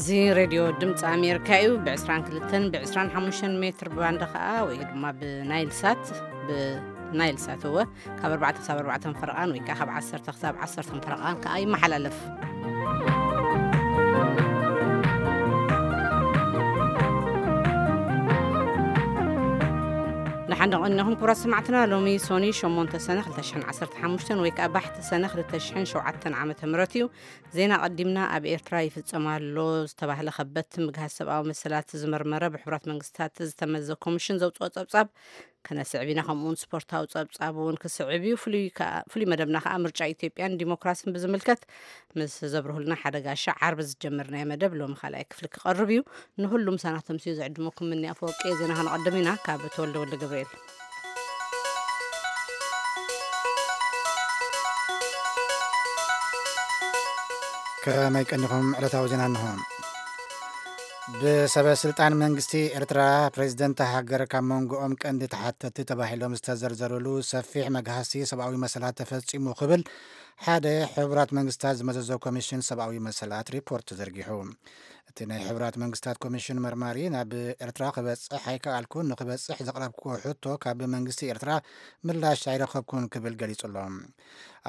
እዚ ሬድዮ ድምፂ ኣሜሪካ እዩ። ብ22 ብ25 ሜትር ባንድ ከዓ ወይ ድማ ብናይል ሳት፣ ብናይል ሳት እወ፣ ካብ ኣርባዕተ ክሳብ ኣርባዕተ ፈረቓን ወይ ከዓ ካብ ዓሰርተ ክሳብ ዓሰርተ ፈረቓን ከዓ ይመሓላለፍ። ንሓንደ ቀኒኹም ክቡራት ሰማዕትና፣ ሎሚ ሶኒ ሸሞንተ ሰነ ክልተ ሽሕን ዓሰርተ ሓሙሽተን ወይ ከዓ ባሕቲ ሰነ ክልተ ሽሕን ሸውዓተን ዓመተ ምህረት እዩ። ዜና ቀዲምና። ኣብ ኤርትራ ይፍጸም ኣሎ ዝተባህለ ከበድቲ ምግሃስ ሰብኣዊ መሰላት ዝመርመረ ብሕቡራት መንግስታት ዝተመዘ ኮሚሽን ዘውፅኦ ጸብጻብ ከነስዕብ ኢና። ከምኡውን ስፖርታዊ ጸብጻብ እውን ክስዕብ እዩ። ፍሉይ ከኣ-፣ ፍሉይ መደብና ከኣ ምርጫ ኢትዮጵያን ዲሞክራስን ብዝምልከት ምስ ዘብርሁልና ሓደ ጋሻ ዓርቢ ዝጀመርናዮ መደብ ሎሚ ካልኣይ ክፍሊ ክቐርብ እዩ። ንሁሉም ሳናተምስዩ ዝዕድመኩም ምኒ ኣፈወርቂ። ዜና ከነቐድም ኢና። ካብ ተወልደ ወልደ ገብርኤል። ከመይ ቀኒኹም? ዕለታዊ ዜና እንሆ። ብሰበ ስልጣን መንግስቲ ኤርትራ፣ ፕሬዝደንት ሃገር ካብ መንጎኦም ቀንዲ ተሓተቲ ተባሂሎም ዝተዘርዘሩሉ ሰፊሕ መግሃሲ ሰብኣዊ መሰላት ተፈጺሙ ክብል ሓደ ሕቡራት መንግስታት ዝመዘዞ ኮሚሽን ሰብኣዊ መሰላት ሪፖርት ዘርጊሑ። እቲ ናይ ሕቡራት መንግስታት ኮሚሽን መርማሪ ናብ ኤርትራ ክበጽሕ ኣይከኣልኩን፣ ንክበጽሕ ዘቕረብክዎ ሕቶ ካብ መንግስቲ ኤርትራ ምላሽ ኣይረኸብኩን ክብል ገሊጹ ኣሎ።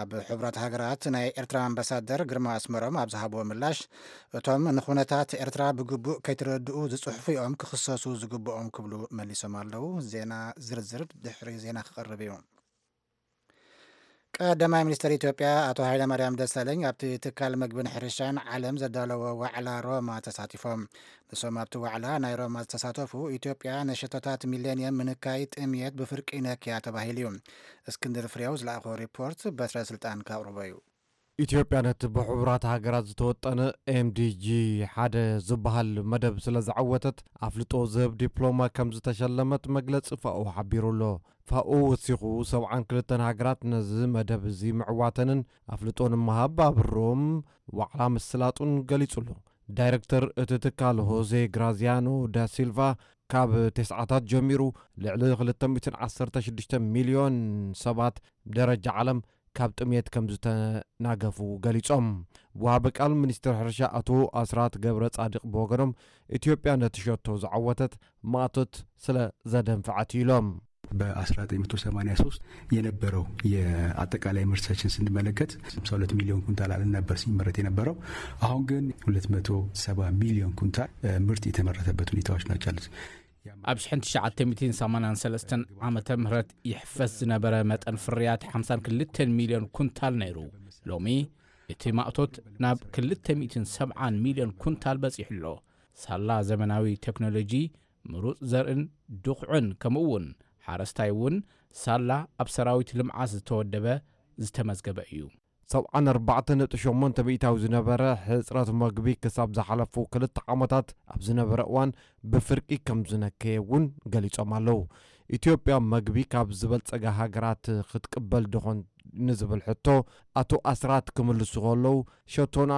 ኣብ ሕቡራት ሃገራት ናይ ኤርትራ ኣምባሳደር ግርማ ኣስመሮም ኣብ ዝሃብዎ ምላሽ፣ እቶም ንኹነታት ኤርትራ ብግቡእ ከይተረድኡ ዝጽሕፉ እዮም ክኽሰሱ ዝግብኦም ክብሉ መሊሶም ኣለዉ። ዜና ዝርዝር ድሕሪ ዜና ክቐርብ እዩ። ቀዳማይ ሚኒስትር ኢትዮጵያ ኣቶ ሃይለማርያም ደሳለኝ ኣብቲ ትካል መግብን ሕርሻን ዓለም ዘዳለዎ ዋዕላ ሮማ ተሳቲፎም። ንሶም ኣብቲ ዋዕላ ናይ ሮማ ዝተሳተፉ፣ ኢትዮጵያ ንሸቶታት ሚሌንየም ምንካይ ጥምየት ብፍርቂ ነክያ ተባሂሉ እዩ። እስክንድር ፍሬው ዝለኣኾ ሪፖርት በትረ ስልጣን ከቕርቦ እዩ። ኢትዮጵያ ነቲ ብሕቡራት ሃገራት ዝተወጠነ ኤምዲጂ ሓደ ዝበሃል መደብ ስለ ዝዓወተት ኣፍልጦ ዝህብ ዲፕሎማ ከም ዝተሸለመት መግለጺ ፋኦ ሓቢሩ ኣሎ። ፋኦ ወሲኹ፣ ሰብዓን ክልተን ሃገራት ነዚ መደብ እዚ ምዕዋተንን ኣፍልጦ ንምሃብ ኣብሮም ዋዕላ ምስላጡን ገሊጹ ኣሎ። ዳይረክተር እቲ ትካል ሆዜ ግራዚያኖ ዳሲልቫ፣ ካብ ተስዓታት ጀሚሩ ልዕሊ ክልተ ሚእትን ዓሰርተ ሽዱሽተ ሚልዮን ሰባት ብደረጃ ዓለም ካብ ጥምየት ከም ዝተናገፉ ገሊጾም። ወሃቢ ቃል ሚኒስትር ሕርሻ ኣቶ ኣስራት ገብረ ጻድቕ ብወገኖም፣ ኢትዮጵያ ነቲ ሸቶ ዝዓወተት ማእቶት ስለ ዘደንፍዐት ኢሎም። በ1983 የነበረው የአጠቃላይ ምርታችን ስንመለከት 52 ሚሊዮን ኩንታል አልም ነበር ሲመረት የነበረው። አሁን ግን 270 ሚሊዮን ኩንታል፣ እ፣ ምርት የተመረተበት ሁኔታዎች ናቸው ያሉት። ኣብ ሽሕን ትሽዓተ ሚእትን ሰማንያን ሰለስተን ዓመተ ምህረት ይሕፈስ ዝነበረ መጠን ፍርያት ሓምሳን ክልተን ሚልዮን ኩንታል ነይሩ። ሎሚ እቲ ማእቶት ናብ ክልተ ሚእትን ሰብዓን ሚልዮን ኩንታል በጺሑ ኣሎ። ሳላ ዘመናዊ ቴክኖሎጂ፣ ምሩጽ ዘርእን ድኹዕን፣ ከምኡ እውን ሓረስታይ እውን ሳላ ኣብ ሰራዊት ልምዓት ዝተወደበ ዝተመዝገበ እዩ። ሰብዓን ኣርባዕተን ነጥቢ ሸሞንተ ሚእታዊ ዝነበረ ሕጽረት መግቢ ክሳብ ዝሓለፉ ክልተ ዓመታት ኣብ ዝነበረ እዋን ብፍርቂ ከም ዝነከየ እውን ገሊጾም ኣለዉ። ኢትዮጵያ መግቢ ካብ ዝበልጸጋ ሃገራት ክትቅበል ድኾን ንዝብል ሕቶ ኣቶ ኣስራት ክምልሱ ከለዉ፣ ሸቶና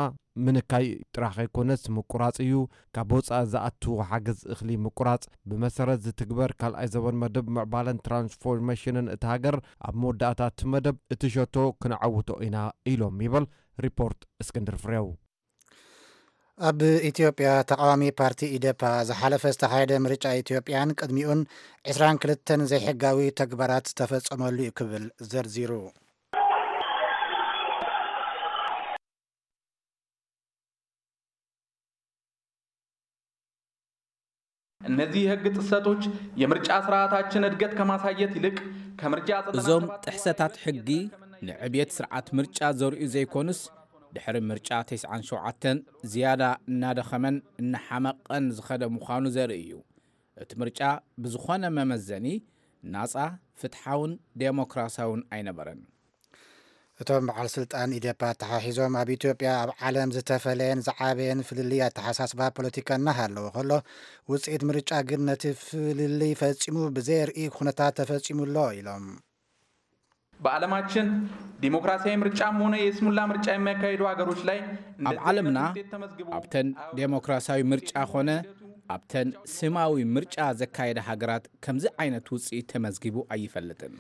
ምንካይ ጥራሕ ከይኮነስ ምቁራጽ እዩ። ካብ ወጻኢ ዝኣቱ ሓገዝ እኽሊ ምቁራጽ ብመሰረት ዝትግበር ካልኣይ ዘበን መደብ ምዕባለን ትራንስፎርሜሽንን እታ ሃገር፣ ኣብ መወዳእታ እቲ መደብ እቲ ሸቶ ክንዓውቶ ኢና ኢሎም ይበል ሪፖርት እስክንድር ፍሬው። ኣብ ኢትዮጵያ ተቃዋሚ ፓርቲ ኢዴፓ ዝሓለፈ ዝተኻየደ ምርጫ ኢትዮጵያን ቅድሚኡን ዕስራን ክልተን ዘይሕጋዊ ተግባራት ዝተፈጸመሉ እዩ ክብል ዘርዚሩ። እነዚህ የህግ ጥሰቶች የምርጫ ስርዓታችን እድገት ከማሳየት ይልቅ ከምርጫ እዞም ጥሕሰታት ሕጊ ንዕብየት ስርዓት ምርጫ ዘርእዩ ዘይኮኑስ፣ ድሕሪ ምርጫ ተስዓን ሸውዓተን ዝያዳ እናደኸመን እናሓመቐን ዝኸደ ምዃኑ ዘርኢ እዩ። እቲ ምርጫ ብዝኾነ መመዘኒ ናጻ፣ ፍትሓውን ዴሞክራሲያውን ኣይነበረን። እቶም በዓል ስልጣን ኢዴፓ ኣተሓሒዞም፣ ኣብ ኢትዮጵያ ኣብ ዓለም ዝተፈለየን ዝዓበየን ፍልልይ ኣተሓሳስባ ፖለቲካ እናሃለወ ከሎ፣ ውፅኢት ምርጫ ግን ነቲ ፍልልይ ፈጺሙ ብዘየርኢ ኩነታት ተፈጺሙ ኣሎ ኢሎም። በዓለማችን ዲሞክራሲያዊ ምርጫም ሆነ የስሙላ ምርጫ የሚያካሂዱ ሀገሮች ላይ እንደ ኣብ ዓለምና ውጤት ተመዝግቦ ኣብተን ዴሞክራሲያዊ ምርጫ ኾነ ኣብተን ስማዊ ምርጫ ዘካየደ ሃገራት ከምዚ ዓይነት ውፅኢት ተመዝጊቡ ኣይፈልጥን።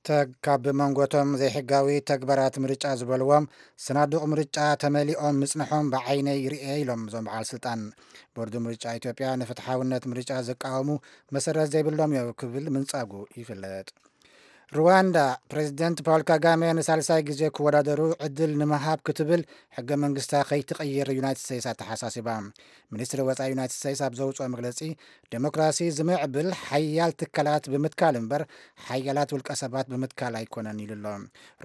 ተግ ካብ መንጎቶም ዘይሕጋዊ ተግባራት ምርጫ ዝበልዎም ስናዱቕ ምርጫ ተመሊኦም ምጽንሖም ብዓይነይ ይርኤ ኢሎም እዞም በዓል ስልጣን። ቦርድ ምርጫ ኢትዮጵያ ንፍትሓውነት ምርጫ ዝቃወሙ መሰረት ዘይብሎም እዮም ክብል ምንጻጉ ይፍለጥ። ሩዋንዳ ፕሬዚደንት ፓውል ካጋሜ ንሳልሳይ ግዜ ክወዳደሩ ዕድል ንምሃብ ክትብል ሕገ መንግስታ ከይትቕይር ዩናይትድ ስቴትስ ኣተሓሳሲባ። ሚኒስትሪ ወፃኢ ዩናይትድ ስቴትስ ኣብ ዘውፅኦ መግለፂ ዴሞክራሲ ዝምዕብል ሓያል ትካላት ብምትካል እምበር ሓያላት ውልቀ ሰባት ብምትካል ኣይኮነን ኢሉ ኣሎ።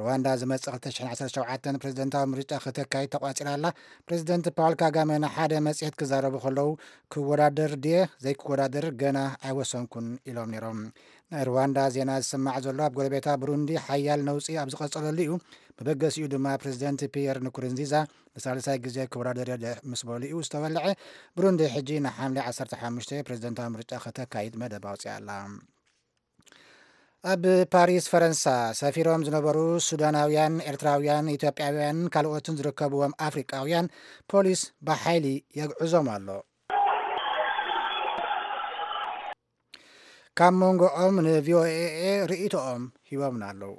ሩዋንዳ ዝመፅእ ክልተ ሽሕን ዓሰርተ ሸውዓተን ፕሬዚደንታዊ ምርጫ ክተካይድ ተቋፂራ ኣላ። ፕሬዚደንት ፓውል ካጋሜ ንሓደ መፅሄት ክዛረቡ ከለዉ ክወዳደር ድየ ዘይክወዳደር ገና ኣይወሰንኩን ኢሎም ነይሮም። ናይ ሩዋንዳ ዜና ዝስማዕ ዘሎ ኣብ ጎረቤታ ብሩንዲ ሓያል ነውፂ ኣብ ዝቐጸለሉ እዩ። መበገሲኡ ድማ ፕሬዚደንት ፒየር ንኩርንዚዛ ንሳልሳይ ግዜ ክወዳደር እየ ምስ በሉ እዩ ዝተወልዐ። ብሩንዲ ሕጂ ንሓምሌ ዓሰርተ ሓሙሽተ ፕሬዚደንታዊ ምርጫ ከተካይድ መደብ ኣውፅያ ኣላ። ኣብ ፓሪስ ፈረንሳ ሰፊሮም ዝነበሩ ሱዳናውያን፣ ኤርትራውያን፣ ኢትዮጵያውያን ካልኦትን ዝርከብዎም ኣፍሪቃውያን ፖሊስ ብሓይሊ የግዕዞም ኣሎ። ካብ መንጎኦም ንቪኦኤ ርእይቶኦም ሂቦምና ኣለዉ።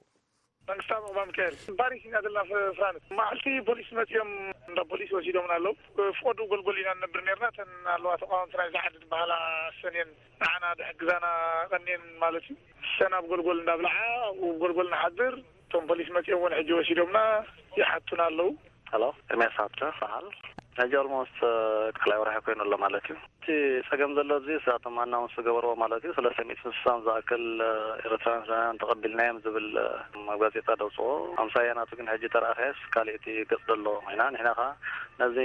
መንግስታዊ ምቕባል ሚካኤል ፓሪስ ኢና ዘለና። ፍራንስ መዓልቲ ፖሊስ መፂኦም እንዳ ፖሊስ ወሲዶምና ኣለዉ። ፍቐዱ ጎልጎል ኢና ንነብር ነርና። እተን ኣለዋ ተቃወምቲ ናይዚ ዓዲ ዝበሃላ ሰኔን ንዓና ድሕግዛና ቀኔን ማለት እዩ። ሰን ኣብ ጎልጎል እንዳብልዓ ኣብኡ ጎልጎል ንሓድር። እቶም ፖሊስ መፂኦም እውን ሕጂ ወሲዶምና ይሓቱና ኣለዉ። ሄሎ፣ ኤርሚያስ ሃብተ በሃል። ሕጂ ኦልሞስት ካልኣይ ወርሒ ኮይኑ ኣሎ ማለት እዩ። እቲ ፀገም ዘሎ ኣብዚ እሳቶም ኣናውንስ ዝገበርዎ ማለት እዩ። ሰለስተ ሚእትን ስሳን ዝኣክል ኤርትራውያን ተቐቢልናዮም ዝብል ኣብ ጋዜጣ ደውፅዎ። ኣምሳያ ናቱ ግን ሕጂ ተረኣኸስ ካልእቲ ገፅ ዘሎ ኮይና ንሕና ከዓ ነዚ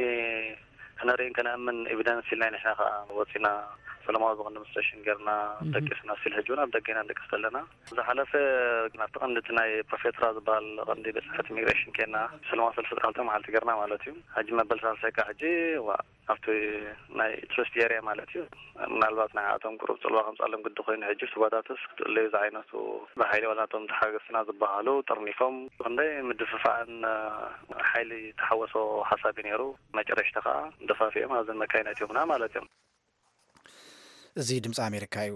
ክነርእን ከነእምን ኤቪደንስ ኢልና ንሕና ከዓ ወፂና ሰለማዊ ዝቕንዲ ምስ ተሽን ጌርና ደቂስና ስቲል ሕጂ እውን ኣብ ደገ ኢና ንደቅስ ዘለና። ዝሓለፈ ናብቲ ቀንዲ እቲ ናይ ፕሮፌትራ ዝበሃል ቀንዲ ቤት ጽሕፈት ኢሚግሬሽን ኬና ሰለማዊ ሰልፊ ጥራልተ መዓልቲ ጌርና ማለት እዩ። ሕጂ መበል ሳልሳይ ከዓ ሕጂ ዋ ኣብቲ ናይ ቱሪስት ኤርያ ማለት እዩ። ምናልባት ናይ ኣቶም ቁሩብ ጽልዋ ከምጻሎም ግዲ ኮይኑ ሕጂ ስጓታትስ ክትእለዩ ዝዓይነቱ ብሓይሊ ዋላ እቶም ተሓገዝትና ዝበሃሉ ጠርኒፎም ክንደይ ምድፍፋዕን ሓይሊ ተሓወሶ ሓሳብ እዩ ነይሩ። መጨረሽታ ከዓ ደፋፊኦም ኣብዘን መካይን ኣእትዮምና ማለት እዮም። እዚ ድምፂ ኣሜሪካ እዩ።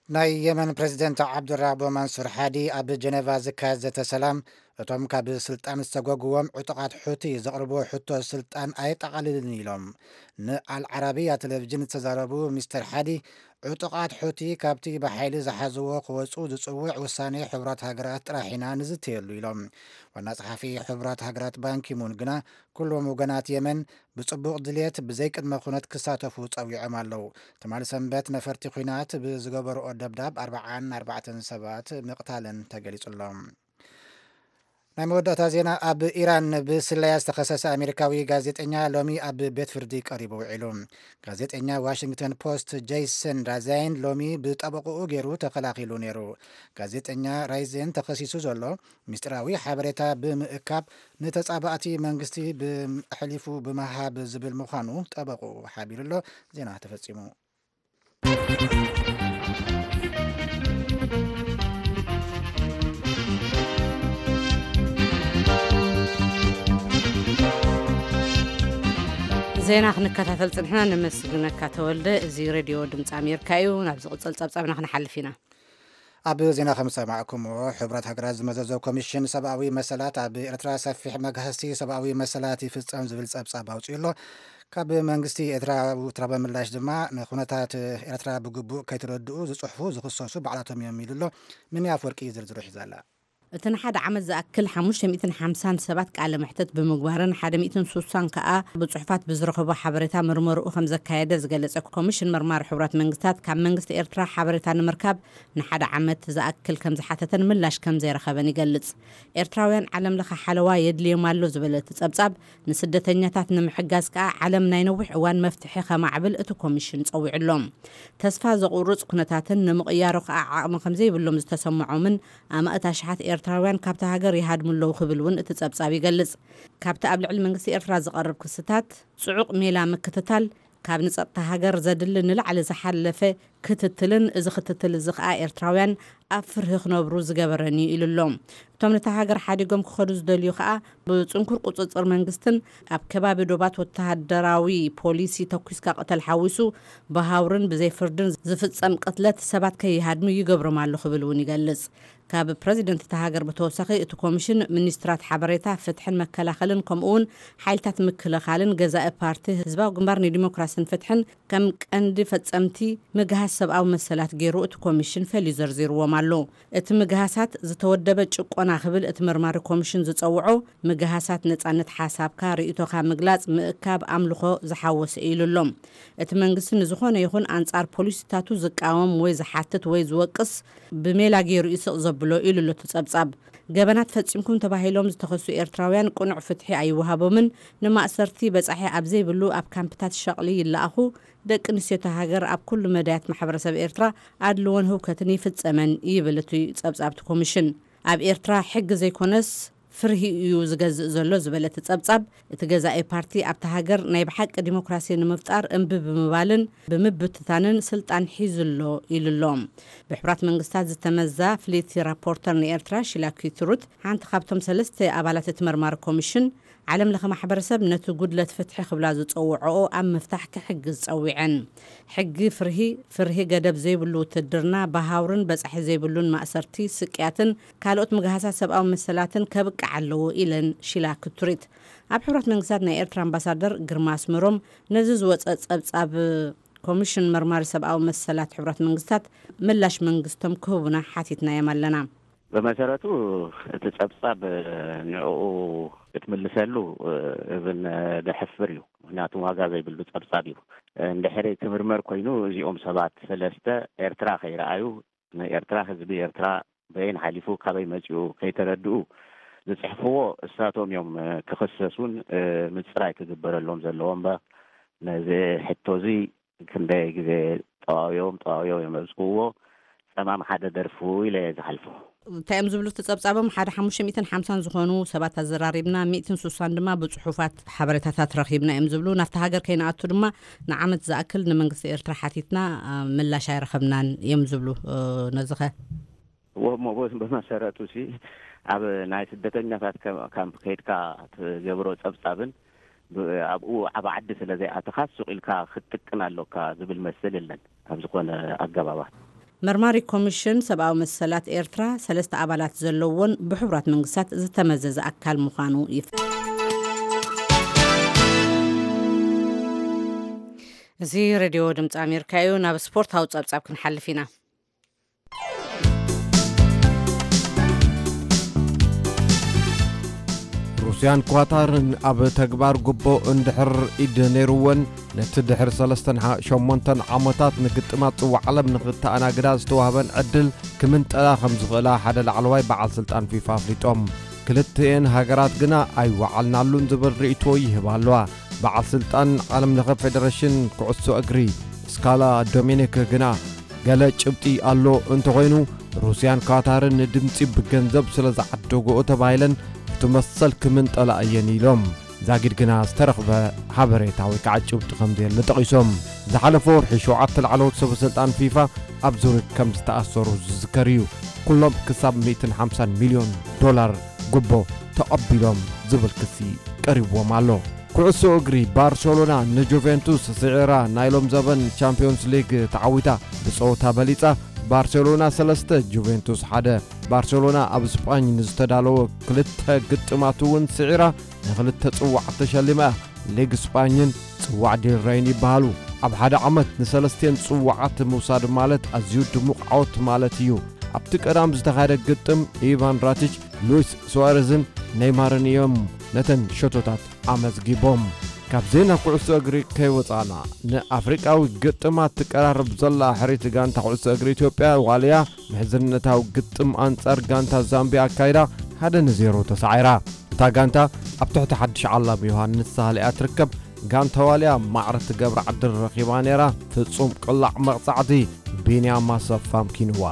ናይ የመን ፕሬዚደንት ዓብዱራቦ ማንሱር ሓዲ ኣብ ጀነቫ ዝካየድ ዘተ ሰላም እቶም ካብ ስልጣን ዝተጎግዎም ዕጡቓት ሑቲ ዘቕርብዎ ሕቶ ስልጣን ኣየጠቓልልን ኢሎም። ንኣልዓረቢያ ቴሌቪዥን ዝተዛረቡ ሚስተር ሓዲ ዕጡቓት ሑቲ ካብቲ ብሓይሊ ዝሓዝዎ ክወፁ ዝፅውዕ ውሳኔ ሕቡራት ሃገራት ጥራሕ ኢና ንዝተየሉ ኢሎም። ዋና ጸሓፊ ሕቡራት ሃገራት ባንኪሙን ግና ኩሎም ወገናት የመን ብጽቡቕ ድልየት ብዘይቅድመ ኩነት ክሳተፉ ጸዊዖም ኣለዉ። ትማሊ ሰንበት ነፈርቲ ኲናት ብዝገበርኦ ደብዳብ ኣርብዓን ኣርባዕተን ሰባት ምቕታለን ተገሊጹ ኣሎ። ናይ መወዳእታ ዜና። ኣብ ኢራን ብስለያ ዝተኸሰሰ ኣሜሪካዊ ጋዜጠኛ ሎሚ ኣብ ቤት ፍርዲ ቀሪቡ ውዒሉ። ጋዜጠኛ ዋሽንግተን ፖስት ጄይሰን ራዛይን ሎሚ ብጠበቕኡ ገይሩ ተኸላኺሉ ነይሩ። ጋዜጠኛ ራይዜን ተኸሲሱ ዘሎ ምስጢራዊ ሓበሬታ ብምእካብ ንተጻባእቲ መንግስቲ ኣሕሊፉ ብምሃብ ዝብል ምዃኑ ጠበቕኡ ሓቢሩ ኣሎ። ዜና ተፈጺሙ። ዜና ክንከታተል ጽንሕና። ነመስግነካ ተወልደ። እዚ ሬድዮ ድምፂ ኣሜሪካ እዩ። ናብ ዝቕጽል ጸብጻብና ክንሓልፍ ኢና። ኣብ ዜና ከም ዝሰማዕኩምዎ፣ ሕቡራት ሃገራት ዝመዘዞ ኮሚሽን ሰብኣዊ መሰላት ኣብ ኤርትራ ሰፊሕ መግሃስቲ ሰብኣዊ መሰላት ይፍጸም ዝብል ጸብጻብ ኣውጺኡ ኣሎ። ካብ መንግስቲ ኤርትራ ውትራበ ምላሽ ድማ ንኩነታት ኤርትራ ብግቡእ ከይተረድኡ ዝጽሕፉ ዝኽሰሱ ባዕላቶም እዮም ኢሉ ኣሎ። ምንያ ኣፍወርቂ ዝርዝሩ ሒዛ ኣላ። እቲ ንሓደ ዓመት ዝኣክል ሓሙሽተ ሚእትን ሓምሳን ሰባት ቃለ መሕተት ብምግባርን ሓደ ሚእትን ስሳን ከኣ ብጽሑፋት ብዝረኸቦ ሓበሬታ መርመርኡ ከም ዘካየደ ዝገለጸ ኮሚሽን መርማሪ ሕቡራት መንግስታት፣ ካብ መንግስቲ ኤርትራ ሓበሬታ ንምርካብ ንሓደ ዓመት ዝኣክል ከም ዝሓተተን ምላሽ ከም ዘይረኸበን ይገልጽ። ኤርትራውያን ዓለም ለኸ ሓለዋ የድልዮም ኣሎ ዝበለ እቲ ጸብጻብ፣ ንስደተኛታት ንምሕጋዝ ከኣ ዓለም ናይ ነዊሕ እዋን መፍትሒ ከማዕብል እቲ ኮሚሽን ጸዊዑሎም። ተስፋ ዘቑርጽ ኩነታትን ንምቕያሩ ከኣ ዓቕሚ ከም ዘይብሎም ዝተሰምዖምን ኣማእት ኣሽሓት ኤርትራውያን ካብታ ሃገር ይሃድሙ ኣለዉ ክብል እውን እቲ ጸብጻብ ይገልጽ። ካብቲ ኣብ ልዕሊ መንግስቲ ኤርትራ ዝቐርብ ክስታት ጽዑቕ ሜላ ምክትታል፣ ካብ ንጸጥታ ሃገር ዘድሊ ንላዕሊ ዝሓለፈ ክትትልን፣ እዚ ክትትል እዚ ከኣ ኤርትራውያን ኣብ ፍርሂ ክነብሩ ዝገበረን እዩ ኢሉ ኣሎ። እቶም ነታ ሃገር ሓዲጎም ክኸዱ ዝደልዩ ከኣ ብጽንኩር ቁጽጽር መንግስትን ኣብ ከባቢ ዶባት ወተሃደራዊ ፖሊሲ ተኲስካ ቅተል ሓዊሱ ብሃውርን ብዘይ ፍርድን ዝፍጸም ቅትለት ሰባት ከይሃድሙ ይገብሮም ኣሎ ክብል እውን ይገልጽ። ካብ ፕረዚደንት እታ ሃገር ብተወሳኺ እቲ ኮሚሽን ሚኒስትራት ሓበሬታ፣ ፍትሕን መከላኸልን ከምኡ እውን ሓይልታት ምክልኻልን ገዛኢ ፓርቲ ህዝባዊ ግንባር ንዲሞክራስን ፍትሕን ከም ቀንዲ ፈጸምቲ ምግሃስ ሰብኣዊ መሰላት ገይሩ እቲ ኮሚሽን ፈልዩ ዘርዚርዎም ኣሎ። እቲ ምግሃሳት ዝተወደበ ጭቆና ክብል እቲ መርማሪ ኮሚሽን ዝጸውዖ፣ ምግሃሳት ነጻነት ሓሳብካ፣ ርእይቶኻ ምግላጽ፣ ምእካብ፣ ኣምልኾ ዝሓወሰ እዩ ኢሉ ኣሎ። እቲ መንግስቲ ንዝኾነ ይኹን ኣንጻር ፖሊሲታቱ ዝቃወም ወይ ዝሓትት ወይ ዝወቅስ ብሜላ ገይሩ እዩ ስቕ ዘብሎ ኢሉ ኣሎ እቲ ጸብጻብ። ገበናት ፈጺምኩም ተባሂሎም ዝተኸሱ ኤርትራውያን ቅኑዕ ፍትሒ ኣይወሃቦምን፣ ንማእሰርቲ በጻሒ ኣብ ዘይብሉ ኣብ ካምፕታት ሸቕሊ ይለኣኹ፣ ደቂ ኣንስትዮታ ሃገር ኣብ ኩሉ መዳያት ማሕበረሰብ ኤርትራ ኣድልዎን ህውከትን ይፍጸመን ይብል እቲ ጸብጻብ እቲ ኮሚሽን። ኣብ ኤርትራ ሕጊ ዘይኮነስ ፍርሂ እዩ ዝገዝእ ዘሎ ዝበለ እቲ ጸብጻብ፣ እቲ ገዛኢ ፓርቲ ኣብቲ ሃገር ናይ ብሓቂ ዲሞክራሲ ንምፍጣር እምቢ ብምባልን ብምብትታንን ስልጣን ሒዙ ኣሎ ኢሉ ኣሎ። ብሕቡራት መንግስታት ዝተመዛ ፍልይቲ ራፖርተር ንኤርትራ ሺላ ኪትሩት፣ ሓንቲ ካብቶም ሰለስተ ኣባላት እቲ መርማሪ ኮሚሽን፣ ዓለም ለኸ ማሕበረሰብ ነቲ ጉድለት ፍትሒ ክብላ ዝጸውዖኦ ኣብ ምፍታሕ ክሕግዝ ጸዊዐን። ሕጊ ፍርሂ፣ ፍርሂ ገደብ ዘይብሉ ውትድርና፣ ብሃውርን በጻሒ ዘይብሉን ማእሰርቲ፣ ስቅያትን ካልኦት ምግሃሳት ሰብኣዊ መሰላትን ከብቅዕ ኣለዎ ኢለን ሺላ ክትሪት። ኣብ ሕቡራት መንግስታት ናይ ኤርትራ ኣምባሳደር ግርማ ኣስመሮም ነዚ ዝወጸ ጸብጻብ ኮሚሽን መርማሪ ሰብኣዊ መሰላት ሕቡራት መንግስታት ምላሽ መንግስቶም ክህቡና ሓቲትናዮም ኣለና። ብመሰረቱ እቲ ጸብጻብ ንዕኡ ክትምልሰሉ እብን ደሕፍር እዩ። ምክንያቱ ዋጋ ዘይብሉ ጸብጻብ እዩ። እንድሕሪ ክምርመር ኮይኑ እዚኦም ሰባት ሰለስተ ኤርትራ ከይረኣዩ ንኤርትራ ህዝቢ ኤርትራ በየን ሓሊፉ ካበይ መጺኡ ከይተረድኡ ዝጽሕፍዎ እሳቶም እዮም ክኽሰሱን ምጽራይ ክግበረሎም ዘለዎ እምበር ነዚ ሕቶ እዚ ክንደይ ግዜ ጠዋውዮም ጠዋውዮም እዮም ዘብጽሕዎ። ጸማም ሓደ ደርፉ ኢለ እየ ዝሓልፎ። እንታይ እዮም ዝብሉ እቲ ጸብጻቦም? ሓደ ሓሙሽተ ሚእትን ሓምሳን ዝኾኑ ሰባት ኣዘራሪብና፣ ሚእትን ሱሳን ድማ ብጽሑፋት ሓበሬታታት ረኺብና እዮም ዝብሉ። ናብቲ ሃገር ከይንኣቱ ድማ ንዓመት ዝኣክል ንመንግስቲ ኤርትራ ሓቲትና፣ ምላሽ ኣይረኸብናን እዮም ዝብሉ። ነዚ ኸ? እሞ ብመሰረቱ ሲ ኣብ ናይ ስደተኛታት ካምፕ ከይድካ ትገብሮ ጸብጻብን ኣብኡ ኣብ ዓዲ ስለ ዘይኣተኻ ሱቕ ኢልካ ክትጥቅን ኣሎካ ዝብል መስል የለን ኣብ ዝኾነ ኣገባባት። መርማሪ ኮሚሽን ሰብኣዊ መሰላት ኤርትራ ሰለስተ ኣባላት ዘለዎን ብሕቡራት መንግስታት ዝተመዘዘ ኣካል ምዃኑ ይፍ እዚ ሬድዮ ድምፂ ኣሜሪካ እዩ። ናብ ስፖርታዊ ጸብጻብ ክንሓልፍ ኢና። ሩስያን ኳታርን ኣብ ተግባር ጉቦ እንድሕር ኢድ ነይርወን፣ ነቲ ድሕሪ ሰለስተን ሸሞንተን ዓመታት ንግጥማት ጽዋዕ ዓለም ንኽተኣናግዳ ዝተዋህበን ዕድል ክምንጠላ ከም ዝኽእላ ሓደ ላዕለዋይ በዓል ስልጣን ፊፋ ኣፍሊጦም። ክልቲኤን ሃገራት ግና ኣይወዓልናሉን ዝብል ርእይቶ ይህባ ኣለዋ። በዓል ስልጣን ዓለም ለኸ ፌደሬሽን ኩዕሶ እግሪ ስካላ ዶሚኒክ ግና፣ ገለ ጭብጢ ኣሎ እንተኾይኑ፣ ሩስያን ካታርን ንድምጺ ብገንዘብ ስለ ዝዓደግኦ ተባሂለን እቲ መሰል ክምንጠላ እየን ኢሎም። ዛጊድ ግና ዝተረኽበ ሓበሬታ ወይ ከዓ ጭብጢ ከም ዘየለ ጠቒሶም። ዝሓለፈ ወርሒ ሸውዓተ ላዕለዎት ሰበ ስልጣን ፊፋ ኣብ ዙሪክ ከም ዝተኣሰሩ ዝዝከር እዩ። ኩሎም ክሳብ ሚእትን ሓምሳን ሚልዮን ዶላር ጉቦ ተቐቢሎም ዝብል ክሲ ቀሪብዎም ኣሎ። ኩዕሶ እግሪ፣ ባርሰሎና ንጁቬንቱስ ስዒራ ናይ ሎም ዘበን ቻምፒዮንስ ሊግ ተዓዊታ። ብጸወታ በሊጻ፣ ባርሴሎና ሰለስተ ጁቬንቱስ ሓደ። ባርሴሎና ኣብ ስጳኝ ንዝተዳለወ ክልተ ግጥማት እውን ስዒራ ንክልተ ጽዋዓት ተሸሊማ። ሊግ ስጳኝን ጽዋዕ ዲል ረይን ይበሃሉ። ኣብ ሓደ ዓመት ንሰለስቴን ጽዋዓት ምውሳድ ማለት ኣዝዩ ድሙቕ ዓወት ማለት እዩ። ኣብቲ ቀዳም ዝተኻየደ ግጥም ኢቫን ራቲች፣ ሉዊስ ሱዋሬዝን ኔይማርን እዮም ነተን ሸቶታት ኣመዝጊቦም። ካብ ዜና ኩዕሶ እግሪ ከይወጻእና፣ ንኣፍሪቃዊ ግጥማት ትቀራረብ ዘላ ሕርይቲ ጋንታ ኩዕሶ እግሪ ኢትዮጵያ ዋልያ፣ ምሕዝነታዊ ግጥም ኣንጻር ጋንታ ዛምቢያ ኣካይዳ፣ ሓደ ንዜሮ ተሳዒራ። እታ ጋንታ ኣብ ትሕቲ ሓድሽ ዓላም ዮሃንስ ሳህለ እያ ትርከብ። ጋንታ ዋልያ ማዕረ ትገብራ ዕድል ረኺባ ነይራ። ፍጹም ቅላዕ መቕጻዕቲ ቢንያም ኣሰፋ ኣምኪንዋ።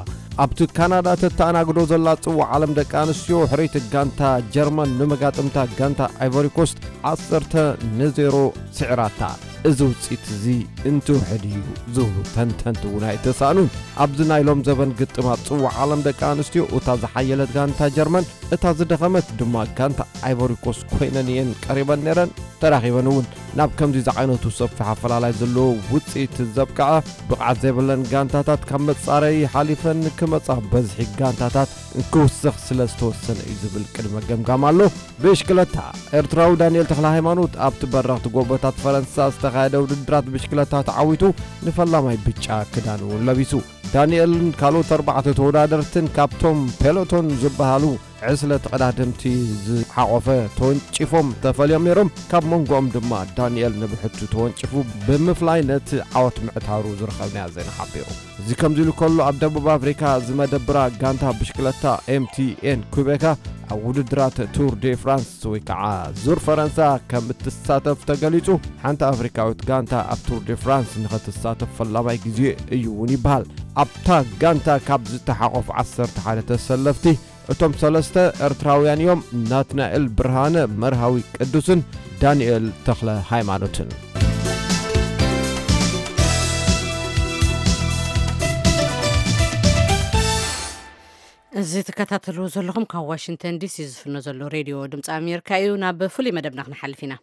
ኣብቲ ካናዳ ተተኣናግዶ ዘላ ጽዋዕ ዓለም ደቂ ኣንስትዮ፣ ሕርይቲ ጋንታ ጀርመን ንመጋጥምታ ጋንታ ኣይቮሪ ኮስት ዓሰርተ ንዜሮ ስዒራታ። እዚ ውፅኢት እዚ እንትውሕድ እዩ ዝብሉ ተንተንቲ እውን ኣይተሳእኑን። ኣብዚ ናይ ሎም ዘበን ግጥማት ፅዋዕ ዓለም ደቂ ኣንስትዮ፣ እታ ዝሓየለት ጋንታ ጀርመን፣ እታ ዝደኸመት ድማ ጋንታ ኣይቮሪኮስ ኮይነን እየን ቀሪበን ነይረን። ተራኺበን እውን ናብ ከምዚ ዝዓይነቱ ሰፊሕ ኣፈላላይ ዘለዎ ውፅኢት ዘብቅዐ ብቕዓት ዘይብለን ጋንታታት ካብ መፃረዪ ሓሊፈን ክመፃ በዝሒ ጋንታታት ክውስኽ ስለ ዝተወሰነ እዩ ዝብል ቅድመ ገምጋም ኣሎ። ብሽክለታ፣ ኤርትራዊ ዳንኤል ተኽለ ሃይማኖት ኣብቲ በረኽቲ ጎቦታት ፈረንሳ ዝተኻየደ ውድድራት ብሽክለታ ተዓዊቱ ንፈላማይ ብጫ ክዳን እውን ለቢሱ። ዳንኤልን ካልኦት ኣርባዕተ ተወዳደርትን ካብቶም ፔሎቶን ዝበሃሉ ዕስለ ተቐዳደምቲ ዝሓቖፈ ተወንጪፎም ተፈልዮም ነይሮም። ካብ መንጎኦም ድማ ዳንኤል ንብሕቱ ተወንጪፉ ብምፍላይ ነቲ ዓወት ምዕታሩ ዝረኸብናዮ ዜና ሓቢሩ። እዚ ከምዚ ኢሉ ከሎ፣ ኣብ ደቡብ ኣፍሪካ ዝመደብራ ጋንታ ብሽክለታ ኤምቲኤን ኩቤካ ኣብ ውድድራት ቱር ዴ ፍራንስ ወይ ከዓ ዙር ፈረንሳ ከም እትሳተፍ ተገሊጹ። ሓንቲ ኣፍሪካዊት ጋንታ ኣብ ቱር ዴ ፍራንስ ንኸትሳተፍ ፈላማይ ግዜ እዩ እውን ይበሃል። ኣብታ ጋንታ ካብ ዝተሓቆፉ ዓሰርተ ሓደ ተሰለፍቲ፣ እቶም ሰለስተ ኤርትራውያን እዮም፣ ናትናኤል ብርሃነ፣ መርሃዊ ቅዱስን ዳንኤል ተኽለ ሃይማኖትን። እዚ ትከታተልዎ ዘለኹም ካብ ዋሽንግተን ዲሲ ዝፍኖ ዘሎ ሬድዮ ድምፂ ኣሜሪካ እዩ። ናብ ፍሉይ መደብና ክንሓልፍ ኢና።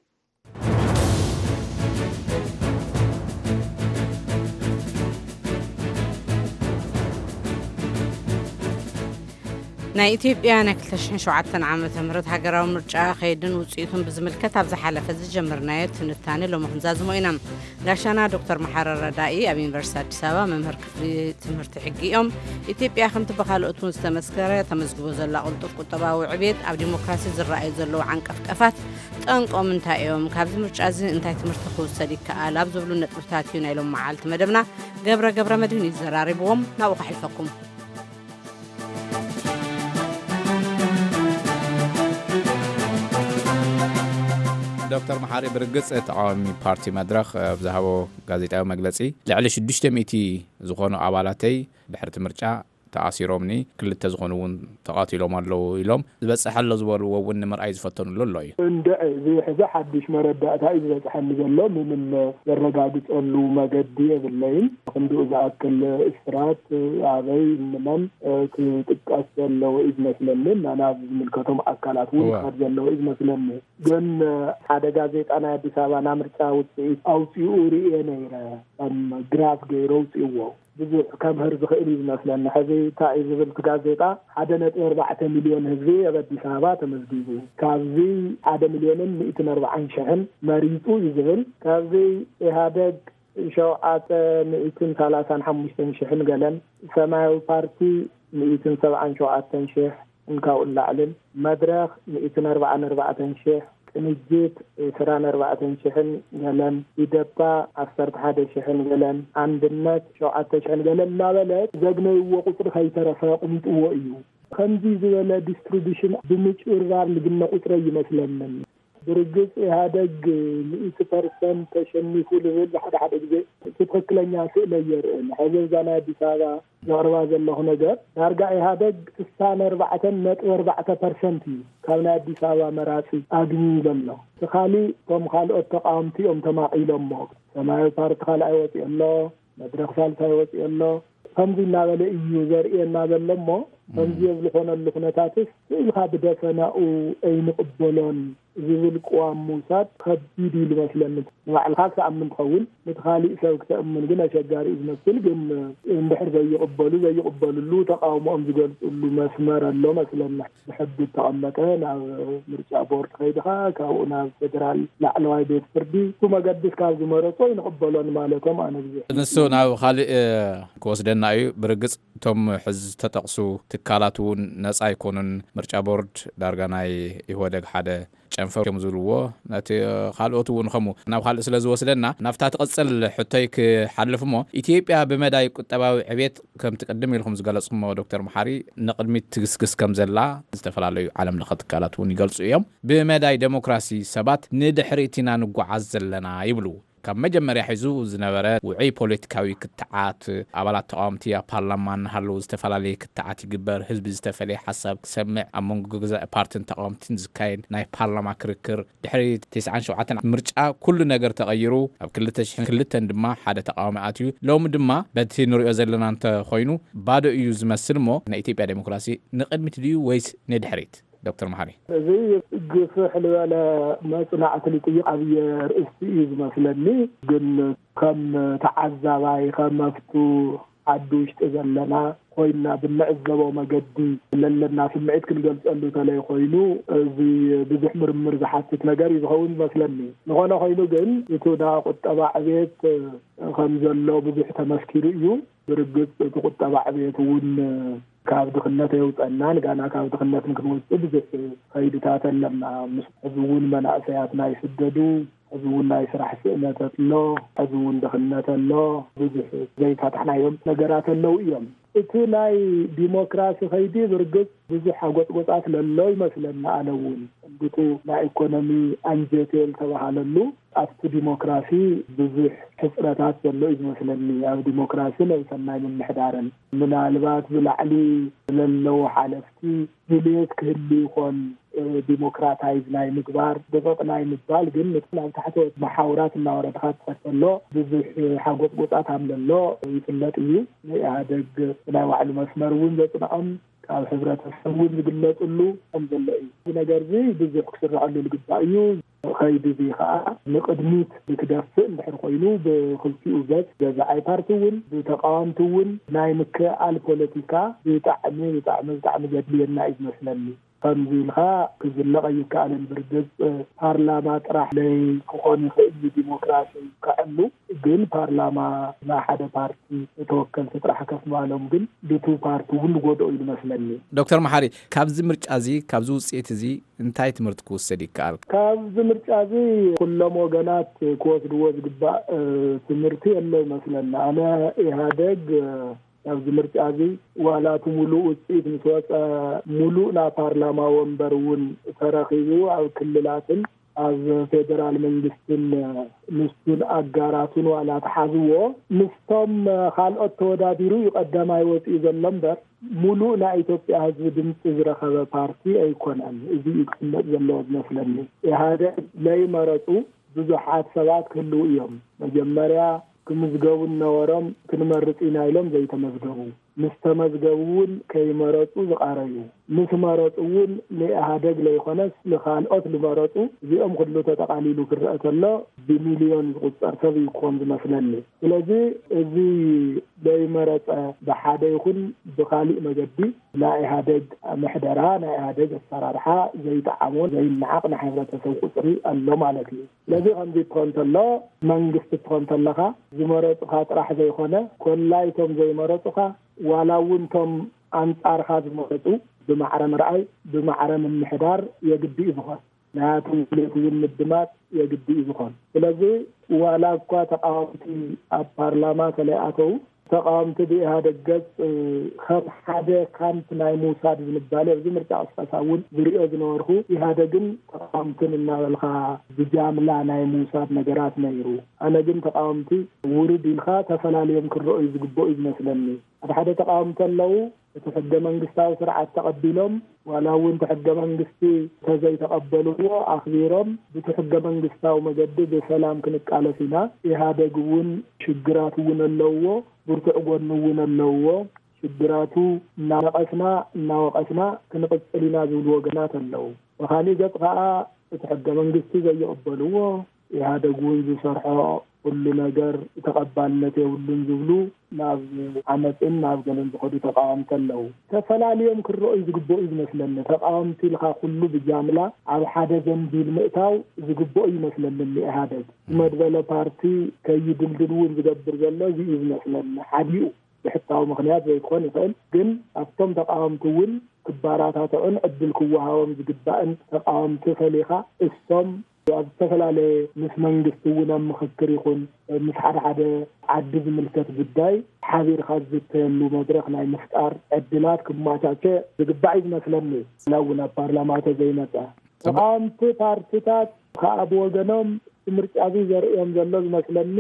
ናይ ኢትዮጵያ ናይ ክልተ ሽሕን ሸውዓተን ዓመተ ምህረት ሃገራዊ ምርጫ ከይድን ውፅኢቱን ብዝምልከት ኣብ ዝሓለፈ ዝጀመርናዮ ትንታኔ ሎሚ ክንዛዝሞ ኢና። ጋሻና ዶክተር መሓረ ረዳኢ ኣብ ዩኒቨርሲቲ ኣዲስ ኣበባ መምህር ክፍሊ ትምህርቲ ሕጊ እዮም። ኢትዮጵያ ከምቲ ብካልኦት እውን ዝተመስከረ ተመዝግቦ ዘላ ቅልጡፍ ቁጠባዊ ዕብየት ኣብ ዲሞክራሲ ዝረኣዩ ዘለዉ ዓንቀፍቀፋት ጠንቆም እንታይ እዮም? ካብዚ ምርጫ እዚ እንታይ ትምህርቲ ክውሰድ ይከኣል? ኣብ ዝብሉ ነጥብታት እዩ ናይ ሎም መዓልቲ መደብና። ገብረ ገብረ መድህን እዩ ዘራሪብዎም። ናብኡ ከሕልፈኩም። ዶክተር መሓሪ፣ ብርግጽ ተቃዋሚ ፓርቲ መድረኽ ኣብ ዝሃቦ ጋዜጣዊ መግለጺ፣ ልዕሊ ሽዱሽተ ሚእቲ ዝኾኑ ኣባላተይ ድሕርቲ ምርጫ ተኣሲሮምኒ፣ ክልተ ዝኾኑ እውን ተቓቲሎም ኣለዉ ኢሎም፣ ዝበጽሐ ኣሎ ዝበልዎ እውን ንምርኣይ ዝፈተኑሉ ኣሎ እዩ። እንድዒ፣ እዚ ሕዚ ሓድሽ መረዳእታ እዩ ዝበጽሐኒ ዘሎ። ምንም ዘረጋግጸሉ መገዲ የብለይን። ክንድኡ ዝኣክል እስራት ኣበይ፣ እንመን፣ እ፣ ክጥቀስ ዘለዎ እዩ ዝመስለኒ። እና ናብ ዝምልከቶም ኣካላት እውን እወ። ክኸድ ዘለዎ እዩ ዝመስለኒ። ግን፣ እ፣ ሓደ ጋዜጣ ናይ ኣዲስ ኣበባ ናይ ምርጫ ውፅኢት ኣውፂኡ ርእየ ነይረ። ከም ግራፍ ገይሩ ኣውፂእዎ። ብዙሕ ከምህር ዝኽእል እዩ ዝመስለኒ። ሕዚ እንታይ እዩ ዝብል እቲ ጋዜጣ? ሓደ ነጥቢ ኣርባዕተ ሚልዮን ህዝቢ ኣብ ኣዲስ ኣበባ ተመዝጊቡ። ካብዚ ሓደ ሚልዮንን ሚእትን ኣርባዓን ሽሕን መሪጹ እዩ ዝብል። ካብዚ ኢህኣደግ ሸውዓተ ሚእትን ሰላሳን ሓሙሽተን ሽሕን ገለን፣ ሰማያዊ ፓርቲ ሚእትን ሰብዓን ሸውዓተን ሽሕ እንካብኡ ንላዕልን፣ መድረኽ ሚእትን ኣርባዓን ኣርባዕተን ሽሕ፣ ቅንጅት ዕስራን ኣርባዕተን ሽሕን ገለን፣ ኢደፓ ዓሰርተ ሓደ ሽሕን ገለን፣ ኣንድነት ሸውዓተ ሽሕን ገለን እናበለ ዘግነይዎ ቁፅሪ ከይተረፈ ኣቕሚጥዎ እዩ። ከምዚ ዝበለ ዲስትሪቢሽን ብምጭብርባር ንግነ ቁፅሪ ኣይመስለንን። ብርግፅ ኢህኣደግ ሚእቲ ፐርሰንት ተሸኒፉ ዝብል ሓደ ሓደ ግዜ እቲ ትኽክለኛ ስእሊ ኣየርእን። ሕዚ እዛ ናይ ኣዲስ ኣበባ ዘቕርባ ዘለኹ ነገር ዳርጋ ኢህኣደግ ስሳን ኣርባዕተን ነጥቢ ኣርባዕተ ፐርሰንት እዩ ካብ ናይ ኣዲስ ኣበባ መራፂ ኣግንዩ ዘሎ። እቲ ካሊእ እቶም ካልኦት ተቃወምቲ እዮም ተማቒሎሞ። ሰማያዊ ፓርቲ ካልኣይ ወፂኡ ኣሎ፣ መድረኽ ሳልሳይ ወፂኡ ኣሎ። ከምዚ እናበለ እዩ ዘርእየና ዘሎ እሞ ከምዚ ኣብ ዝኾነሉ ኩነታትስ ስእልካ ብደፈናኡ ኣይንቕበሎን ዝብል ቅዋም ምውሳድ ከቢድ እዩ ዝመስለኒ። ንባዕልካ ክትኣምን ትኸውን፣ ነቲ ካሊእ ሰብ ክተእምን ግን ኣሸጋሪ እዩ ዝመስል። ግን እንድሕር ዘይቕበሉ፣ ዘይቕበልሉ፣ ተቃውሞኦም ዝገልፅሉ መስመር ኣሎ መስለና። ብሕጊ እተቐመጠ ናብ ምርጫ ቦርድ ከይድኻ ካብኡ ናብ ፌደራል ላዕለዋይ ቤት ፍርዲ፣ እሱ መገዲ እስካብ ዝመረጾ ኣይንቕበሎን ማለቶም ኣነ ብዙሕ ንሱ ናብ ካልእ ክወስደና እዩ። ብርግጽ እቶም ሕዚ ዝተጠቕሱ ትካላት እውን ነጻ ኣይኮኑን። ምርጫ ቦርድ ዳርጋ ናይ ኢህወደግ ሓደ ጨንፈር እዮም ዝብልዎ። ነቲ ካልኦት እውን ከምኡ ናብ ካልእ ስለ ዝወስደና ናብታ ትቕጽል ሕቶይ ክሓልፍ እሞ፣ ኢትዮጵያ ብመዳይ ቁጠባዊ ዕብየት ከምቲ ቅድም ኢልኩም ዝገለጽኩሞ ዶክተር መሓሪ ንቕድሚት ትግስግስ ከም ዘላ ዝተፈላለዩ ዓለም ለኸ ትካላት እውን ይገልጹ እዮም። ብመዳይ ዴሞክራሲ ሰባት ንድሕሪት ኢና ንጓዓዝ ዘለና ይብሉ። ካብ መጀመርያ ሒዙ ዝነበረ ውዑይ ፖለቲካዊ ክትዓት፣ ኣባላት ተቃወምቲ ኣብ ፓርላማ እናሃለዉ ዝተፈላለየ ክትዓት ይግበር፣ ህዝቢ ዝተፈላለየ ሓሳብ ክሰምዕ፣ ኣብ መንጎ ገዛኢ ፓርትን ተቃወምትን ዝካየድ ናይ ፓርላማ ክርክር፣ ድሕሪ ተስዓን ሸውዓተን ምርጫ ኩሉ ነገር ተቐይሩ፣ ኣብ ክልተ ሽሕን ክልተን ድማ ሓደ ተቃዋሚ ኣትዩ። ሎሚ ድማ በቲ ንሪኦ ዘለና እንተኾይኑ ባዶ እዩ ዝመስል። እሞ ናይ ኢትዮጵያ ዴሞክራሲ ንቕድሚት ድዩ ወይስ ንድሕሪት? ዶክተር መሓሪ። እዚ ግፍሕ ዝበለ መጽናዕቲ ልጥይቕ ኣብየ ርእስቲ እዩ ዝመስለኒ። ግን ከም ተዓዛባይ፣ ከም ኣብቱ ዓዲ ውሽጢ ዘለና ኮይና ብንዕዘቦ መገዲ ለለና ስምዒት ክንገልጸሉ ተለይ ኮይኑ፣ እዚ ብዙሕ ምርምር ዝሓትት ነገር እዩ ዝኸውን ዝመስለኒ። ዝኾነ ኮይኑ ግን፣ እቲ ናይ ቁጠባ ዕቤት ከም ዘሎ ብዙሕ ተመስኪሩ እዩ። ብርግጽ እቲ ቁጠባ ዕቤት እውን ካብ ድኽነት ኣየውጸናን፣ ጋና ካብ ድኽነት ንክንወጽእ ብዙሕ ከይድታት ኣለና። ምስ ሕዚ እውን መናእሰያትና ይስደዱ፣ ሕዚ እውን ናይ ስራሕ ስእነት ኣሎ፣ ሕዚ እውን ድኽነት ኣሎ፣ ብዙሕ ዘይፈታሕናዮም ነገራት ኣለዉ እዮም። እቲ ናይ ዲሞክራሲ ከይዲ ብርግጽ ብዙሕ ሓጎጽጎጻት ለሎ ይመስለና። ኣነ እውን እንድቱ ናይ ኢኮኖሚ ኣንጀቴ ዝተባሃለሉ ኣብቲ ዲሞክራሲ ብዙሕ ሕጽረታት ዘሎ እዩ ዝመስለኒ። ኣብ ዲሞክራሲ ናይ ሰናይ ምምሕዳርን ምናልባት ብላዕሊ ለለዉ ሓለፍቲ ድልየት ክህሉ ይኾን፣ እ፣ ዲሞክራታይዝ ናይ ምግባር፣ ደቀቕ ናይ ምባል፣ ግን ነቲ ናብ ታሕተዎት መሓውራት እናወረድካ ትኸድ ከሎ ብዙሕ ሓጎጽጎጻት ከም ዘሎ ይፍለጥ እዩ። ንኢህኣደግ ናይ ባዕሉ መስመር እውን ዘጽንዖም ካብ ሕብረተሰብ እውን ዝግለጽሉ ከም ዘሎ እዩ። እዚ ነገር እዚ ብዙሕ ክስረዐሉ ዝግባእ እዩ። ከይዲ እዚ ከዓ ንቕድሚት ንክደፍእ እንድሕር ኮይኑ ብክልቲኡ ገጽ ገዛኣይ ፓርቲ እውን ብተቃወምቲ እውን ናይ ምክእኣል ፖለቲካ ብጣዕሚ፣ ብጣዕሚ፣ ብጣዕሚ ዘድልየና እዩ ዝመስለኒ። ከምዚ ኢልካ ክዝለቕ ኣይከኣልን። ብርግጽ ፓርላማ ጥራሕ ለይ ክኾን ይኽእል እዩ ዲሞክራሲ ከዕሉ፣ ግን ፓርላማ ናይ ሓደ ፓርቲ ተወከልቲ ጥራሕ ከፍ ምባሎም ግን ድቱ ፓርቲ እውን ዝጎድኦ እዩ ዝመስለኒ። ዶክተር መሓሪ፣ ካብዚ ምርጫ እዚ፣ ካብዚ ውፅኢት እዚ እንታይ ትምህርቲ ክውሰድ ይከኣል? ካብዚ ምርጫ እዚ ኩሎም ወገናት ክወስድዎ ዝግባእ፣ እ፣ ትምህርቲ የሎ ይመስለኒ። ኣነ ኢህኣደግ፣ እ፣ ኣብዚ ምርጫ እዚ ዋላ እቲ ሙሉእ ውፅኢት ምስ ወፀ፣ ሙሉእ ናይ ፓርላማ ወንበር እውን ተረኺቡ ኣብ ክልላትን ኣብ ፌደራል መንግስትን ንሱን ኣጋራቱን ዋላ ተሓዝዎ፣ ምስቶም ካልኦት ተወዳዲሩ እዩ ቀዳማይ ወፂኡ ዘሎ እምበር፣ ሙሉእ ናይ ኢትዮጵያ ህዝቢ ድምፂ ዝረኸበ ፓርቲ ኣይኮነን። እዚ እዩ ክፍለጥ ዘለዎ ዝመስለኒ። ኢህኣደግ ለይመረፁ ብዙሓት ሰባት ክህልዉ እዮም። መጀመርያ ክምዝገቡ እናወሮም ክንመርፅ ኢና ኢሎም ዘይተመዝገቡ፣ ምስ ተመዝገቡ እውን ከይመረፁ ዝቓረዩ፣ ምስ መረፁ እውን ንኢህኣደግ ለይኮነስ ንኻልኦት ዝመረፁ፣ እዚኦም ኩሉ ተጠቓሊሉ ክረአ ተሎ ብሚልዮን ዝቑፀር ሰብ እዩ ክኾን ዝመስለኒ። ስለዚ እዚ ዘይመረፀ ብሓደ ይኹን ብኻሊእ መገዲ ናይ ኢህኣደግ ምሕደራ፣ ናይ ኢህኣደግ ኣሰራርሓ ዘይጠዓሞ፣ ዘይነዓቕ ናይ ሕብረተሰብ ቁፅሪ ኣሎ ማለት እዩ። ስለዚ ከምዚ እትኾን ተሎ፣ መንግስቲ እትኾን ተለኻ፣ ዝመረፁኻ ጥራሕ ዘይኮነ፣ ኮላይቶም ዘይመረፁኻ፣ ዋላ እውን እቶም ኣንጻርኻ ዝመረፁ ብማዕረ ምርኣይ፣ ብማዕረ ምምሕዳር የግዲ እዩ ዝኾን። ናያቶም ድሌት እውን ምድማፅ የግዲ እዩ ዝኾን። ስለዚ ዋላ እኳ ተቃወምቲ ኣብ ፓርላማ ተለይኣተው፣ ተቃወምቲ ብኢህኣደግ ገፅ፣ እ፣ ከም ሓደ ካምፕ ናይ ምውሳድ ዝንባሌ ኣብዚ ምርጫ ቅስቀሳ እውን ዝሪኦ ዝነበርኩ፣ ኢህኣደግን ተቃወምትን እናበልካ ብጃምላ ናይ ምውሳድ ነገራት ነይሩ። ኣነ ግን ተቃወምቲ ውርድ ኢልካ ተፈላልዮም ክረኦዩ ዝግበኡ እዩ ዝመስለኒ። ሓደ ሓደ ተቃወምቲ ኣለዉ፣ እቲ ሕገ መንግስታዊ ስርዓት ተቐቢሎም፣ ዋላ እውን እቲ ሕገ መንግስቲ እንተዘይተቐበልዎ ኣኽቢሮም፣ ብቲ ሕገ መንግስታዊ መገዲ ብሰላም ክንቃለስ ኢና። ኢህኣደግ እውን ሽግራት እውን ኣለውዎ፣ ብርቱዕ ጎኒ እውን ኣለውዎ። ሽግራቱ እናነቐስና፣ እናወቐስና ክንቕጽል ኢና ዝብሉ ወገናት ኣለዉ። ብኻሊእ ገጽ ከኣ እቲ ሕገ መንግስቲ ዘይቕበልዎ፣ ኢህኣደግ እውን ዝሰርሖ ኩሉ ነገር ተቐባልነት የብሉን ዝብሉ ናብ ዓመፅን ናብ ገለን ዝኸዱ ተቃወምቲ ኣለዉ። ተፈላልዮም ክረኦዩ ዝግበኡ እዩ ዝመስለኒ። ተቃወምቲ ኢልካ ኩሉ ብጃምላ ኣብ ሓደ ዘንቢል ምእታው ዝግበኦ ይመስለኒ። ኢህኣደግ መድበለ ፓርቲ ከይድልድል እውን ዝገብር ዘሎ እዚ እዩ ዝመስለኒ። ሓዲኡ ብሕታዊ ምኽንያት ዘይክኾን ይኽእል፣ ግን ኣብቶም ተቃወምቲ እውን ክባራታትዑን ዕድል ክወሃቦም ዝግባእን ተቃወምቲ ፈሊኻ እሶም ኣብ ዝተፈላለየ ምስ መንግስቲ እውን ኣብ ምኽክር ይኹን ምስ ሓደ ሓደ ዓዲ ዝምልከት ጉዳይ ሓቢርካ ዝዝተየሉ መድረኽ ናይ ምፍጣር ዕድላት ክማቻቸ ዝግባእ እዩ ዝመስለኒ። ዋላ እውን ኣብ ፓርላማ ተዘይመፀ ተቃወምቲ ፓርቲታት ከዓ ብወገኖም ምርጫ እዚ ዘርእዮም ዘሎ ዝመስለኒ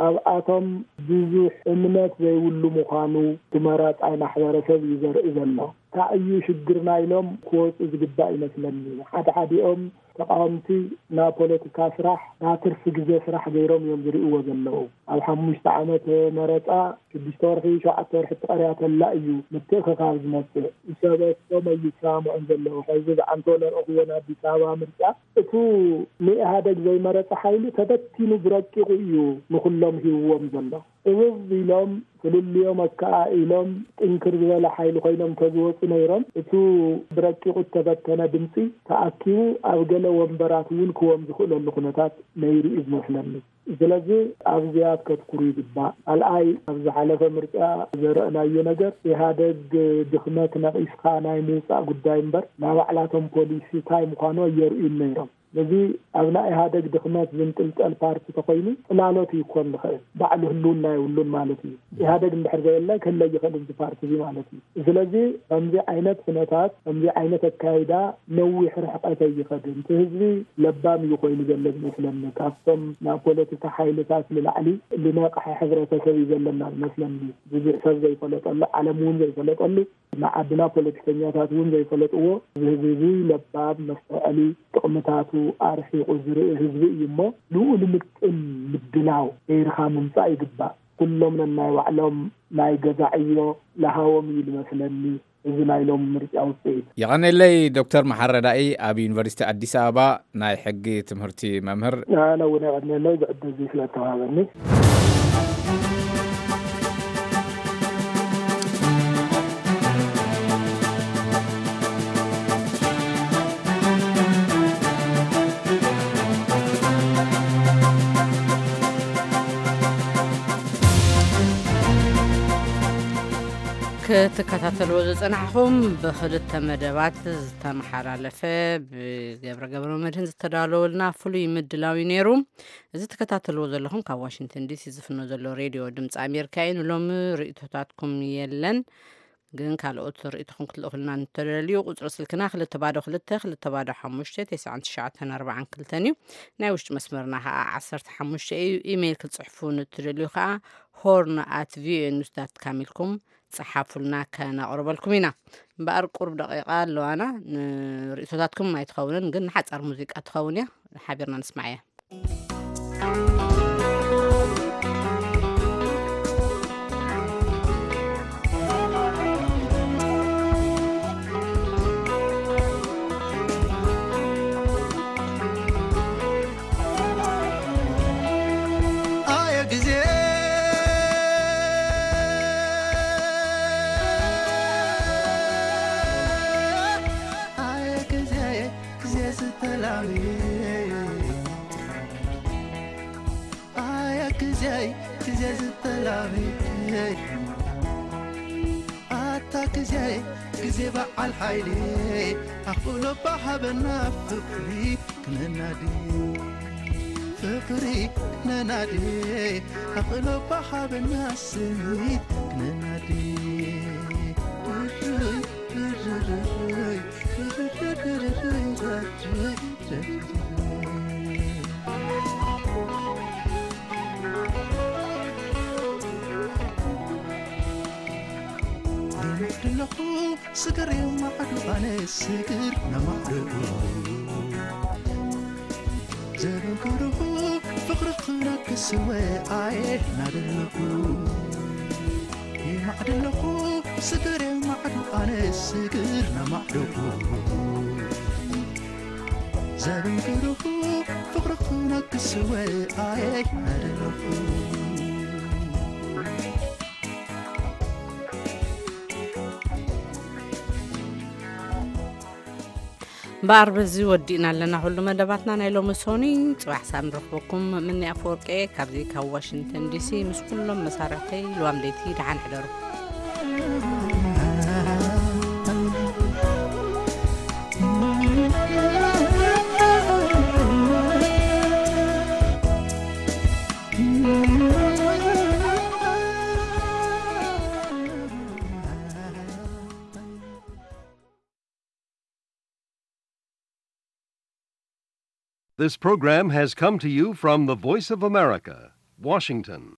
ኣብኣቶም ብዙሕ እምነት ዘይብሉ ምዃኑ እቲ መራጻይ ማሕበረሰብ እዩ ዘርኢ ዘሎ። እንታይ እዩ ሽግርና ኢሎም ክወፁ ዝግባእ ይመስለኒ። ሓደ ሓዲኦም ተቃወምቲ ናብ ፖለቲካ ስራሕ ናብ ትርፊ ግዜ ስራሕ ገይሮም እዮም ዝርእይዎ ዘለዉ። ኣብ ሓሙሽተ ዓመት መረፃ ሽዱሽተ ወርሒ ሸውዓተ ወርሒ ትቐርያ ተላ እዩ ምትእኽኻብ ዝመፅእ። ሰበቶም ኣይሰማምዑን ዘለዉ። ሕዚ ዝዓንቶ ለረእኽዎ ናብ ኣዲስ ኣበባ ምርጫ እቱ ንኢህኣደግ ዘይመረፀ ሓይሊ ተበቲኑ ብረቂቑ እዩ ንኹሎም ሂብዎም ዘሎ። እብብ ኢሎም ፍልልዮም ኣከኣኢሎም ጥንክር ዝበለ ሓይሊ ኮይኖም ተዝወፁ ነይሮም እቱ ብረቂቑ እተበተነ ድምፂ ተኣኪቡ ኣብ ገለ ወንበራት እውን ክዎም ዝኽእለሉ ኩነታት ነይሩ እዩ ዝመስለኒ። ስለዚ ኣብዚኣ ከትኩሩ ይግባእ። ካልኣይ ኣብ ዝሓለፈ ምርጫ ዘረእናዮ ነገር ኢህኣደግ ድኽመት ነቒስካ ናይ ምውፃእ ጉዳይ እምበር ናይ ባዕላቶም ፖሊሲ እንታይ ምዃኑ ኣየርእዩን ነይሮም። ስለዚ ኣብ ናይ ኢህኣደግ ድኽመት ዝንጥልጠል ፓርቲ ተኮይኑ ፅላሎት ይኮን ዝኽእል ባዕሉ ህልውና የብሉን ማለት እዩ። ኢህኣደግ እንድሕር ዘየለ ክህለ ይኽእል እዚ ፓርቲ እዚ ማለት እዩ። ስለዚ ከምዚ ዓይነት ኩነታት ከምዚ ዓይነት ኣካይዳ ነዊሕ ርሕቀት ኣይኸድን። እቲ ህዝቢ ለባም እዩ ኮይኑ ዘሎ ዝመስለኒ። ካብቶም ናብ ፖለቲካ ሓይልታት ንላዕሊ ዝነቕሐ ሕብረተሰብ እዩ ዘለና ዝመስለኒ። ብዙሕ ሰብ ዘይፈለጠሉ ዓለም እውን ዘይፈለጠሉ ንዓድና ፖለቲከኛታት እውን ዘይፈለጥዎ እዚ ህዝቢ እዚ ለባም መስተውዐሊ ጥቕምታቱ ኣርሒቑ ዝርኢ ህዝቢ እዩ እሞ ንኡ ንምጥን ምድላው ገይርካ ምምፃእ ይግባእ። ኩሎም ነናይ ባዕሎም ናይ ገዛ ዕዮ ለሃዎም እዩ ዝመስለኒ እዚ ናይ ሎም ምርጫ ውፅኢት። የቐኔለይ ዶክተር መሓረዳኢ ኣብ ዩኒቨርሲቲ ኣዲስ ኣበባ ናይ ሕጊ ትምህርቲ መምህር። ኣነ እውን የቐኔለይ ብዕድል እዚ ስለተዋሃበኒ። ክትከታተልዎ ዝጸናሕኹም ብኽልተ መደባት ዝተመሓላለፈ ብገብረ ገብረ መድህን ዝተዳለወልና ፍሉይ ምድላው እዩ ነይሩ። እዚ ትከታተልዎ ዘለኹም ካብ ዋሽንግተን ዲሲ ዝፍኖ ዘሎ ሬድዮ ድምፂ ኣሜሪካ እዩ። ንሎሚ ርእይቶታትኩም የለን፣ ግን ካልኦት ርእይቶኹም ክትልእኹልና እንተደልዩ ቁፅሪ ስልክና ክልተ ባዶ ክልተ ክልተ ባዶ ሓሙሽተ ተስዓን ትሽዓተን ኣርባዓን ክልተን እዩ። ናይ ውሽጢ መስመርና ከዓ ዓሰርተ ሓሙሽተ እዩ። ኢሜይል ክትፅሕፉ ንትደልዩ ከዓ ሆርን ኣት ቪኦኤ ኒውስ ዳት ካም ኢልኩም ፀሓፉልና፣ ከነቕርበልኩም ኢና። እምበኣር ቁሩብ ደቂቃ ኣለዋና፣ ንርእይቶታትኩም ኣይትኸውንን፣ ግን ንሓጻር ሙዚቃ ትኸውን እያ። ሓቢርና ንስማዕ እያ። ኣየ ግዜ፣ ኣየ ግዜ፣ ግዜ ዝተላሚ። ኣየ ግዜ፣ ግዜ ዝተላሚ። ኣታ ግዜ፣ ግዜ በዓል ሓይሊ። ኣኽእሎ ባሃበና ፍቕሪ ክነናዲ። ፍቕሪ ክነናዲ። ኣኽእሎ ባሃበና ስኒት ክነናዲ። ኣለኹ ስግር የማዕዱ ኣነ ስግር ነማዕዱ። ዘበንክርኹ ፍቕሪ ክነክስወ ኣየ ናደለኹ። ይማዕድ ኣለኹ ስግር የማዕዱ ኣነ ስግር ነማዕዱ። ዘበንክርኹ ፍቕሪ ክነክስወ ኣየ ናደለኹ። እምበኣር በዚ ወዲእና ኣለና ኩሉ መደባትና ናይ ሎሚ ሶኒ። ጽባሕ ሳብ ንረኽበኩም። ምኒ ኣፈወርቂ ካብዚ ካብ ዋሽንግተን ዲሲ ምስ ኩሎም መሳርሕተይ ልዋም ለይቲ ደሓን ሕደሩ። This program has come to you from the Voice of America, Washington.